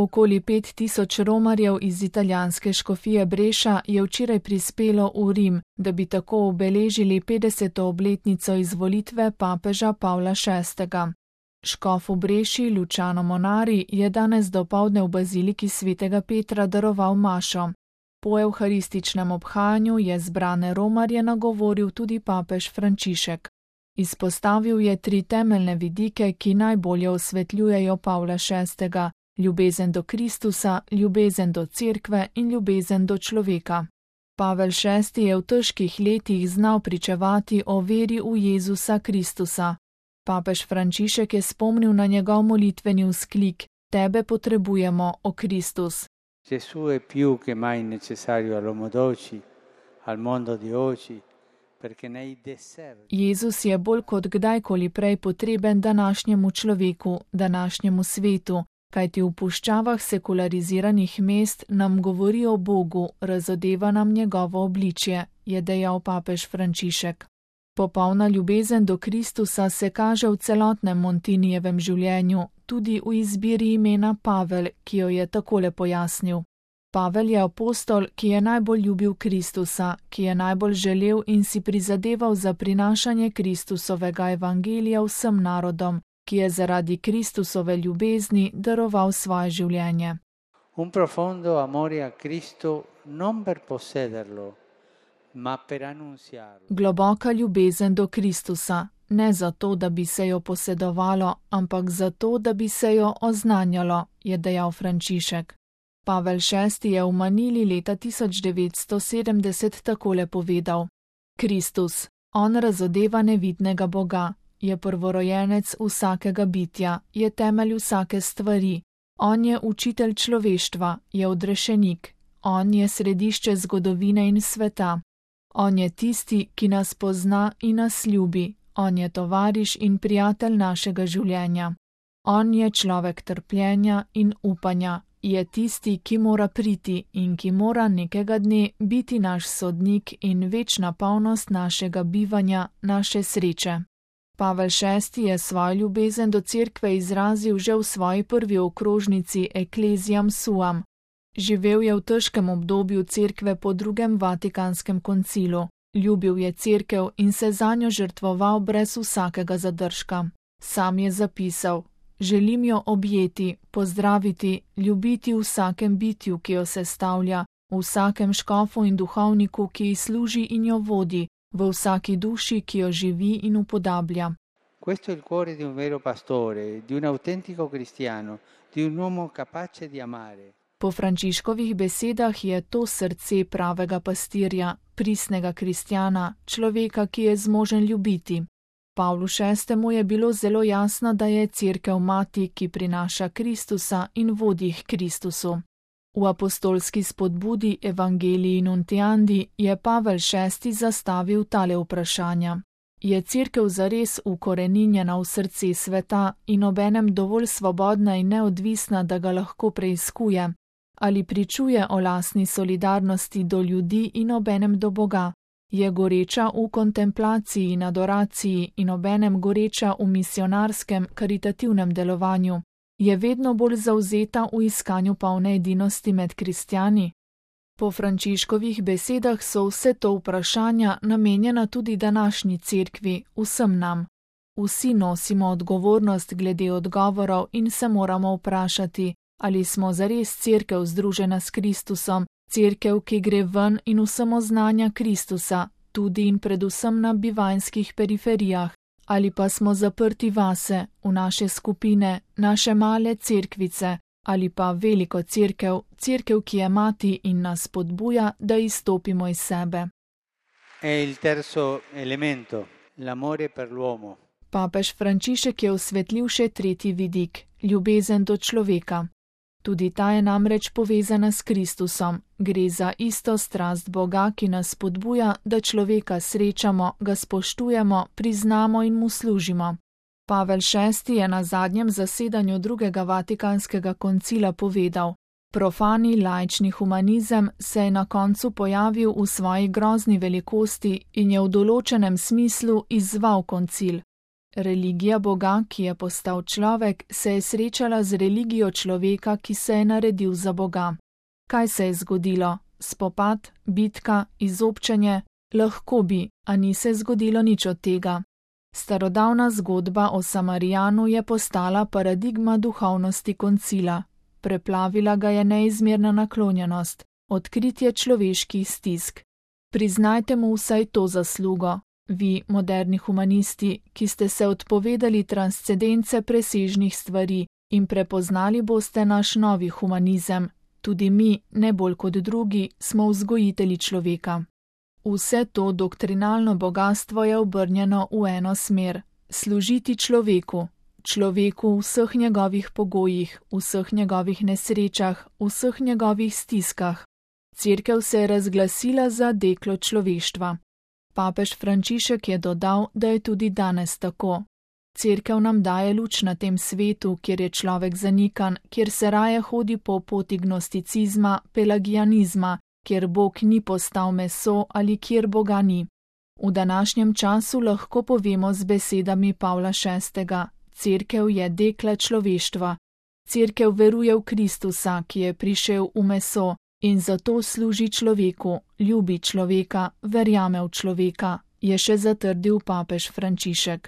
Okoli 5000 romarjev iz italijanske škofije Breša je včeraj prispelo v Rim, da bi tako obeležili 50. obletnico izvolitve papeža Pavla VI. Škof v Breši, Luciano Monari, je danes dopoldne v baziliki svetega Petra daroval mašo. Po evharističnem obhajanju je zbrane romarje nagovoril tudi papež Frančišek. Izpostavil je 3 temeljne vidike, ki najbolje osvetljujejo Pavla VI. Ljubezen do Kristusa, ljubezen do Cerkve in ljubezen do človeka. Pavel VI. Je v težkih letih znal pričevati o veri v Jezusa Kristusa. Papež Frančišek je spomnil na njegov molitveni vzklik: Tebe potrebujemo, o Kristus. Gesù è più che mai necessario all'uomo d'oggi, al mondo di oggi, perché nei deserti. Jezus je bolj kot kdajkoli prej potreben današnjemu človeku, današnjemu svetu, kajti v puščavah sekulariziranih mest nam govori o Bogu, razodeva nam njegovo obličje, je dejal papež Frančišek. Popolna ljubezen do Kristusa se kaže v celotnem Montinijevem življenju, tudi v izbiri imena Pavel, ki jo je takole pojasnil. Pavel je apostol, ki je najbolj ljubil Kristusa, ki je najbolj želel in si prizadeval za prinašanje Kristusovega evangelija vsem narodom, ki je zaradi Kristusove ljubezni daroval svoje življenje. Un profondo amore a Cristo non per possederlo, ma per annunziarlo. Globoka ljubezen do Kristusa, ne zato, da bi se jo posedovalo, ampak zato, da bi se jo oznanjalo, je dejal Frančišek. Pavel VI. Je v Manili leta 1970 takole povedal: Kristus, on razodeva nevidnega Boga, je prvorojenec vsakega bitja, je temelj vsake stvari, on je učitelj človeštva, je odrešenik, on je središče zgodovine in sveta. On je tisti, ki nas pozna in nas ljubi, on je tovariš in prijatelj našega življenja. On je človek trpljenja in upanja, je tisti, ki mora priti in ki mora nekega dne biti naš sodnik in večna polnost našega bivanja, naše sreče. Pavel VI. Je svojo ljubezen do Cerkve izrazil že v svoji prvi okrožnici Ecclesiam Suam. Živel je v težkem obdobju Cerkve po drugem Vatikanskem koncilu. Ljubil je Cerkev in se zanjo žrtvoval brez vsakega zadržka. Sam je zapisal: Želim jo objeti, pozdraviti, ljubiti v vsakem bitju, ki jo sestavlja, v vsakem škofu in duhovniku, ki ji služi in jo vodi, v vsaki duši, ki jo živi in upodablja. Questo è il cuore di un vero pastore, di un autentico cristiano, di un uomo capace di amare. Po Frančiškovih besedah je to srce pravega pastirja, pristnega kristjana, človeka, ki je zmožen ljubiti. Pavlu VI. Je bilo zelo jasno, da je Cerkev mati, ki prinaša Kristusa in vodi k Kristusu. V apostolski spodbudi Evangelii Nuntiandi je Pavel VI. Zastavil tale vprašanja. Je Cerkev zares ukoreninjena v srce sveta in obenem dovolj svobodna in neodvisna, da ga lahko preiskuje? Ali pričuje o lastni solidarnosti do ljudi in obenem do Boga? Je goreča v kontemplaciji in adoraciji in obenem goreča v misionarskem, karitativnem delovanju? Je vedno bolj zavzeta v iskanju polne edinosti med kristjani? Po Frančiškovih besedah so vse to vprašanja namenjena tudi današnji Cerkvi, vsem nam. Vsi nosimo odgovornost glede odgovorov in se moramo vprašati, ali smo zares Cerkev združena s Kristusom, Cerkev, ki gre ven in vsem oznanja Kristusa, tudi in predvsem na bivanjskih periferijah, ali pa smo zaprti vase, v naše skupine, naše male cerkvice, ali pa veliko Cerkev, Cerkev, ki je mati in nas spodbuja, da izstopimo iz sebe. È il terzo elemento, l'amore per l'uomo. Papež Frančišek je osvetlil še tretji vidik, ljubezen do človeka. Tudi ta je namreč povezana s Kristusom. Gre za isto strast Boga, ki nas spodbuja, da človeka srečamo, ga spoštujemo, priznamo in mu služimo. Pavel VI. Je na zadnjem zasedanju drugega Vatikanskega koncila povedal: Profani laični humanizem se je na koncu pojavil v svoji grozni velikosti in je v določenem smislu izzval koncil. Religija Boga, ki je postal človek, se je srečala z religijo človeka, ki se je naredil za Boga. Kaj se je zgodilo? Spopad, bitka, izobčenje? Lahko bi, a ni se zgodilo nič od tega. Starodavna zgodba o Samarijanu je postala paradigma duhovnosti koncila. Preplavila ga je neizmerna naklonjenost, odkritje človeških stisk. Priznajte mu vsaj to zaslugo, vi, moderni humanisti, ki ste se odpovedali transcendence presežnih stvari in prepoznali boste naš novi humanizem. Tudi mi, ne bolj kot drugi, smo vzgojitelji človeka. Vse to doktrinalno bogastvo je obrnjeno v eno smer: služiti človeku. Človeku v vseh njegovih pogojih, v vseh njegovih nesrečah, v vseh njegovih stiskah. Cerkev se je razglasila za deklo človeštva. Papež Frančišek je dodal, da je tudi danes tako. Cerkev nam daje luč na tem svetu, kjer je človek zanikan, kjer se raje hodi po poti gnosticizma, pelagianizma, kjer Bog ni postal meso ali kjer Boga ni. V današnjem času lahko povemo z besedami Pavla VI. Cerkev je dekla človeštva. Cerkev veruje v Kristusa, ki je prišel v meso in zato služi človeku, ljubi človeka, verjame v človeka, je še zatrdil papež Frančišek.